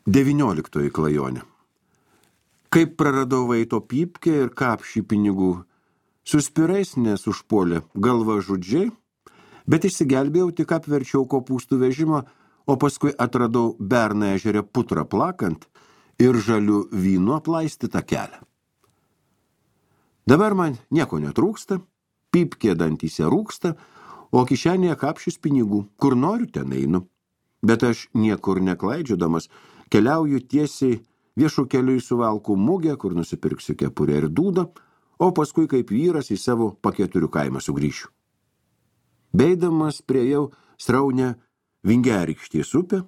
19 klajonė. Kaip praradau Vaito Pypkę ir kapšį pinigų. Su spirais nesužpuolė galva žudžiai, bet išsigelbėjau, tik apverčiau kopūstų vežimą, o paskui atradau Berną ežere putrą plakant ir žalių vynu aplaistytą kelią. Dabar man nieko netrūksta, pypkė dantyse rūksta, o kišenėje kapšys pinigų, kur noriu ten einu. Bet aš niekur neklaidžiodamas keliauju tiesiai viešų kelių į Suvalkų mugę, kur nusipirksiu kepurę ir dūdą, o paskui kaip vyras į savo Paketurių kaimą sugrįšiu. Beidamas priejau sraunę Vingerikštės upę,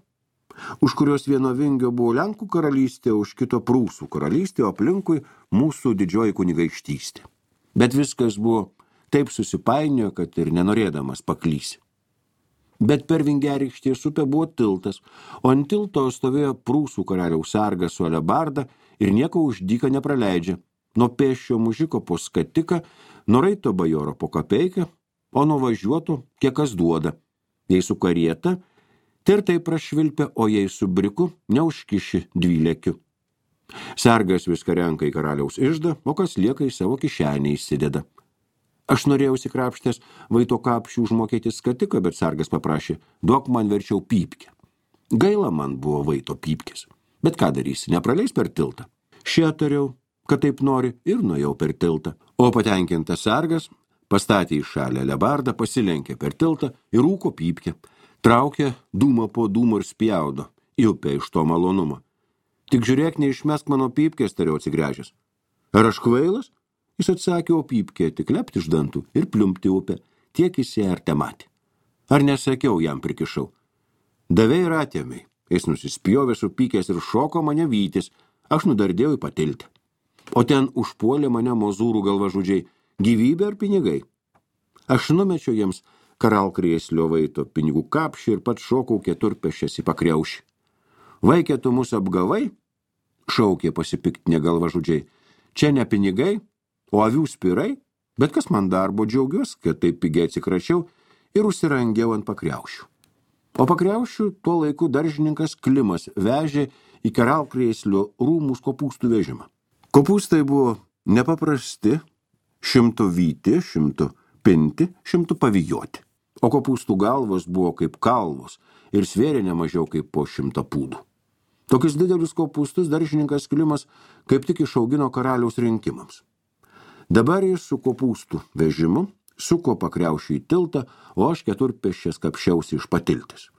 už kurios vieno vingio buvo Lenkų karalystė, už kito Prūsų karalystė, o aplinkui mūsų didžioji kunigaikštystė. Bet viskas buvo taip susipainiojo, kad ir nenorėdamas paklysi. Bet per Vingerikštės upę buvo tiltas, o ant tilto stovėjo Prūsų karaliaus sargas su alebarda ir nieko už dyką nepraleidžia. Nuo pėsčio mužiko po skatiką, nuo raito bajoro po kapeiką, o nuo važiuoto kiek kas duoda. Jei su karieta, tai ir taip prašvilpia, o jei su briku, neužkiši 12. Sargas viską renka į karaliaus iždą, o kas lieka į savo kišenę įsideda. Aš norėjau įsikrapštęs Vaito kapšių užmokėti skatiką, bet sargas paprašė, duok man verčiau pypkę. Gaila man buvo Vaito pypkės, bet ką darysi, nepraleis per tiltą. Tariau, kad taip nori, ir nuėjau per tiltą. O patenkintas sargas pastatė į šalį alebardą, pasilenkė per tiltą ir rūko pypkę. Traukė dūmą po dūmų ir spjaudo į upę iš to malonumo. Tik žiūrėk, neišmesk mano pypkės, tariau atsigręžęs. Ar aš kvailas? Jis atsakė, o pypkė tik lepti iš dantų ir pliumpti upę, tiek jis ją ar tematė. Ar nesakiau, jam prikišau. Davei ir atėmei. Jis nusispjovė supykęs ir šoko mane vytis. Aš nudardėjau į patiltę. O ten užpuolė mane mozūrų galvažudžiai, gyvybė ar pinigai. Aš numečiau jiems karalkrėslio Vaito pinigų kapšį ir pats šokau keturpėsčias į pakriaušį. Vaike, tu mus apgavai? Šaukė pasipiktinę galvažudžiai. Čia ne pinigai, o avių spirai, bet kas man darbo, džiaugiuosi, kad taip pigiai atsikračiau ir užsirangiau ant pakriaušių. O pakriaušių tuo laiku daržininkas Klimas vežė į karalkrėslio rūmus kopūstų vežimą. Kopūstai buvo nepaprasti, 100 vyti, 100 pinti, 100 pavijoti. O kopūstų galvos buvo kaip kalvos ir svėrė nemažiau kaip po 100 pūdų. Tokius didelius kopūstus daržininkas Klimas kaip tik išaugino karaliaus rinkimams. Dabar jis su kopūstų vežimu suko pakriaušių į tiltą, o aš keturpėsčias kapšiausi iš patiltės.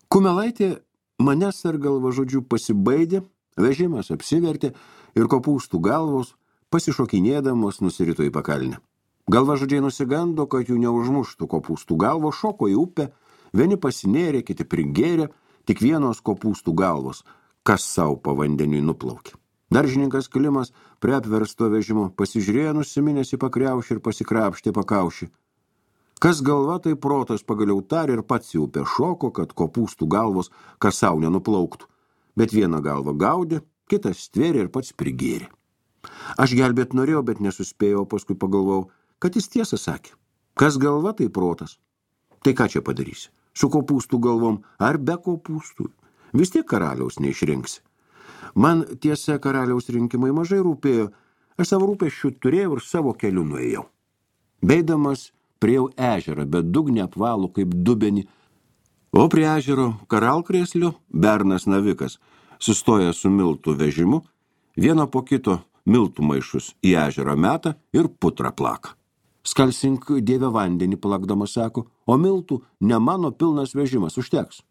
Kumelaitė manęs ar galvažudžių pasibaidė, vežimas apsivertė ir kopūstų galvos pasišokinėdamos nusirito į pakalnę. Galvažudžiai nusigando, kad jų neužmuštų kopūstų galvo, šoko į upę, vieni pasinėrė, kiti prigėrė, tik vienos kopūstų galvos, kas sau po vandeniui nuplaukė. Daržininkas Klimas prie apversto vežimo pasižiūrėjo nusiminęs į pakriaušį ir pasikrapštė pakaušį. Kas galva, tai protas pagaliau tarė ir pats į upę šoko, kad kopūstų galvos kas sau nenuplauktų. Bet vieną galvą gaudė, kitas stvėrė ir pats prigėrė. Aš gelbėt norėjau, bet nesuspėjau, paskui pagalvojau, kad jis tiesą sakė. Kas galva, tai protas. Tai ką čia padarysi? Su kopūstų galvom ar be kopūstų? Vis tiek karaliaus neišrinksi. Man tiesa karaliaus rinkimai mažai rūpėjo, aš savo rūpesčių turėjau ir savo keliu nuėjau. Beidamas priejau ežerą, bet dugnį apvalų kaip dubenį, o prie ežero karalkrėslio Bernas navikas sustoja su miltų vežimu, vieno po kito miltų maišus į ežerą metą ir putrą plaka. Skalsink Dieve vandenį plakdamas sako, o miltų ne mano pilnas vežimas, užteks.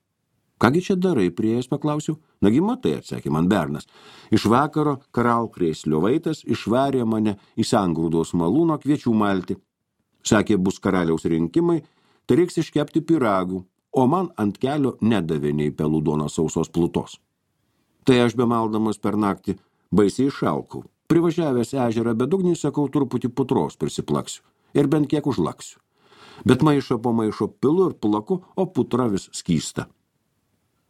Kągi čia darai, prieėjęs paklausiau? Nagi matai, atsakė man Bernas. Iš vakaro karalkrėslio Vaitas išvarė mane į sangrūdos malūno kviečių malti. Sakė, bus karaliaus rinkimai, tai reiks iškepti pyragų, o man ant kelio nedavė nei pelų duonos sausos plutos. Tai aš bemaldamas per naktį baisiai išalkau. Privažiavęs ežerą bedugnį, sakau, truputį putros prisiplaksiu ir bent kiek užlaksiu. Bet maišą po maišo pilu ir plaku, o putra vis skysta.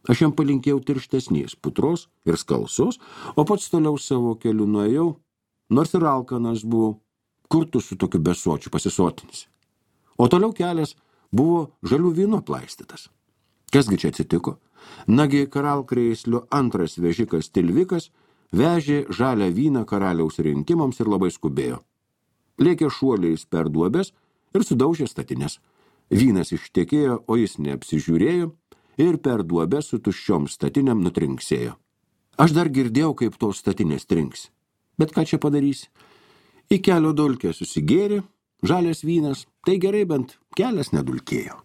Aš jam palinkėjau tirštesnės putros ir skalsos, o pats toliau savo keliu nuėjau, nors ir alkanas buvau, kur tu su tokiu besočiu pasisotinis. O toliau kelias buvo žalių vyno plaistytas. Kasgi čia atsitiko? Nagi karalkrėslio antras vežikas Tilvikas vežė žalią vyną karaliaus rinkimams ir labai skubėjo. Lėkė šuoliais per duobes ir sudaužė statines. Vynas ištekėjo, o jis neapsižiūrėjo ir per duobę su tuščiom statinėm nutrinksėjo. Aš dar girdėjau, kaip tos statinės trinks. Bet ką čia padarys? Į kelio dulkę susigėrė, žalias vynas, tai gerai bent kelias nedulkėjo.